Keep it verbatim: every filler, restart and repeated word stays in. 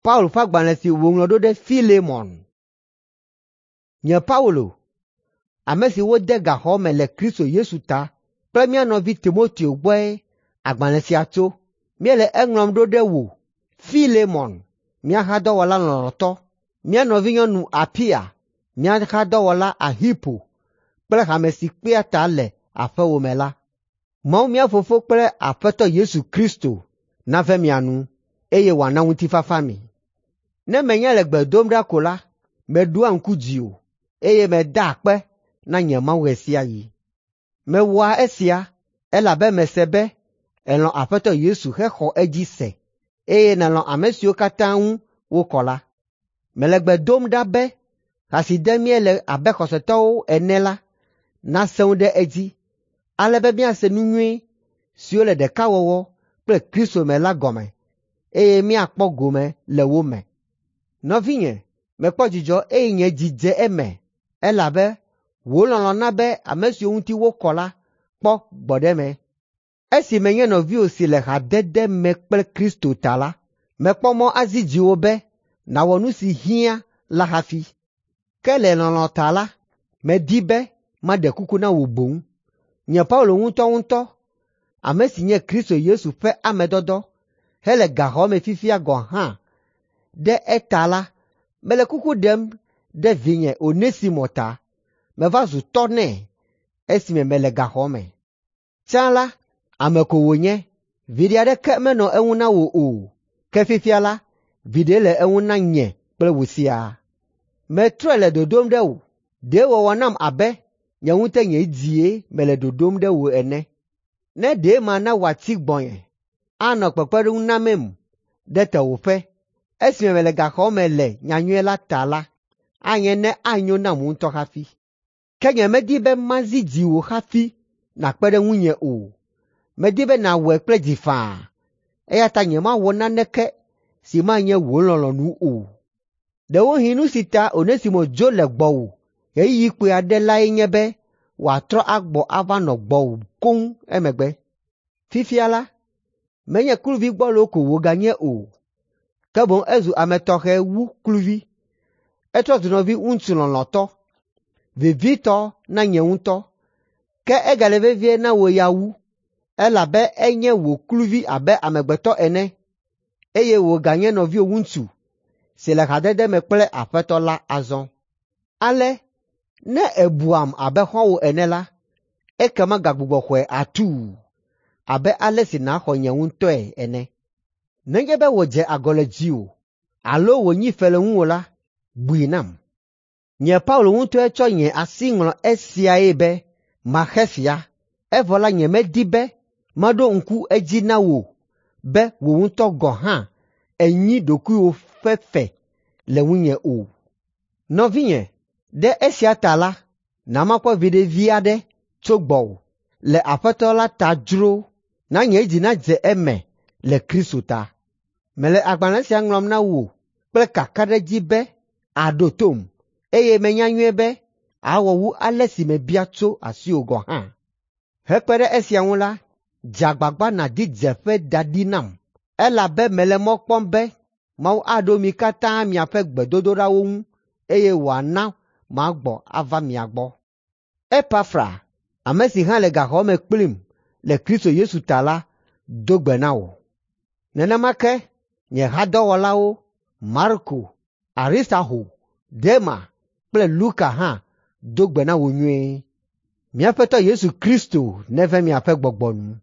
Paulo ƒe agbalẽ si wòŋlɔ ɖo ɖe Filemon. Nye Paulo, ame si wode gaxɔ me le Kristo Yesu ta kple mía nɔvi Timoteo gbɔe agbalẽ sia tso. Míele eŋlɔm ɖo ɖe wò, Filemon, mía hadɔwɔla lɔlɔ̃tɔ, mía nɔvinyɔnu Apia, mía hadɔwɔla Arxipo kple hame si kpea ta le aƒewò me la. Mawu mía Fofo kple Aƒetɔ Yesu Kristo nave mia nu, eye wòana ŋutifafa mi. Ne menye le gbe dom ɖa ko la, meɖoa ŋku dziwò, eye medaa akpe na nye Mawu ɣe sia ɣi. Mewɔa esia elabe mese be èlɔ̃ Aƒetɔ Yesu hexɔ edzi se, eye nèlɔ̃ ame siwo katã ŋu wokɔ la. Mele gbe dom ɖa be ha si dem míele abe xɔsetɔwo ene la nasẽ ŋu ɖe edzi, ale be míase nu nyui siwo le ɖekawɔwɔ kple Kristo me la gɔme, eye míakpɔ gome le wo me. Nɔvinye, mekpɔ dzidzɔ eye nye dzi dze eme elabe wò lɔlɔ̃ na be ame siwo ŋuti wokɔ la kpɔ gbɔɖeme. Esi menye nɔviwò si le hadede me kple Kristo ta la, mekpɔ mɔ azi dziwò be nàwɔ nu si hiã la hafi. Ke le lɔlɔ̃ ta la, medi be maɖe kuku na wò boŋ. Nye Paulo ŋutɔŋutɔ, ame si nye Kristo Yesu ƒe ame dɔdɔ hele gaxɔ me fifia gɔ̃ hã ɖe eta la, mele kuku ɖem ɖe vinye Onesimo ta. Meva zu tɔ nɛ esime mele gaxɔ me. Tsã la, ame ko wònye, viɖe aɖeke menɔ eŋu na wò o, ke fifia la, viɖe le eŋu na nye kple wò siaa. Metrɔe le dodom ɖe wò, ɖe wòwɔ nam abe nye ŋutɔ nye dzie mele dodom ɖe wò ene. Ne ɖe mana wòatsi gbɔnye, anɔ kpekpeɖeŋu namem ɖe tewòƒe esime mele gaxɔ me le nyanyui la ta la, anye ne anyo nam ŋutɔ hafi. Ke nyemedi be mazi dziwò hafi nàkpe ɖe ŋunye o. Medi be nàwɔe kple dzi faa, eya ta nyemawɔ naneke si manye wò lɔlɔ̃nu o. Ɖewohĩ nu si ta Onesimo dzo le gbɔwò ɣeyiɣi kpui aɖe lae nye be wòatrɔ agbɔ ava nɔ gbɔwò koŋ emegbe. Fifia la, menye kluvi gbɔlo ko wòganye o, ke boŋ ezu ame tɔxɛ wu kluvi. Etrɔ zu nɔvi ŋutsu lɔlɔ̃tɔ, vevitɔ na nye ŋutɔ, ke egale vevie na wò ya wu, elabe enye wò kluvi abe amegbetɔ ene, eye wòganye nɔviwò ŋutsu si le hadede me kple Aƒetɔ la azɔ. Ale ne èbuam abe xɔ̃wò ene la, ekema gagbugbɔ xɔe atuu abe ale si nàxɔ nye ŋutɔe ene. Nenye be wòdze agɔ le dziwò alo wònyi fe le ŋuwò la, bui nam. Nye Paulo ŋutɔe tsɔ nye asi ŋlɔ esiae be maxe fia, evɔ la nyemedi be maɖo ŋku edzi na wò be wò ŋutɔ gɔ̃ hã ènyi ɖokuiwò ƒe fe le ŋunye o. Nɔvinye, ɖe esia ta la, na makpɔ viɖe vi aɖe tso gbɔwò le Aƒetɔ la ta dzro, na nye dzi nadze eme le Kristo ta. Mele agbalẽ sia ŋlɔm na wò kple kakaɖedzi be àɖo tom, eye menya nyuie be àwɔ wu ale si mebia tso asiwò gɔ̃ hã. Hekpe ɖe esia ŋu la, dze agbagba nàdi dzeƒe da ɖi nam, elabe mele mɔ kpɔm be Mawu aɖo mi katã miaƒe gbedodoɖawo ŋu eye wòana magbɔ ava mia gbɔ. Epafra, ame si hã le gaxɔ me kplim le Kristo Yesu ta la, do gbe na wò. Nenema ke nye hadɔwɔlawo Marko, Aristarxo, Dema kple Luka hã do gbe na wò nyuie. Mía Aƒetɔ Yesu Kristo neve miaƒe gbɔgbɔ nu.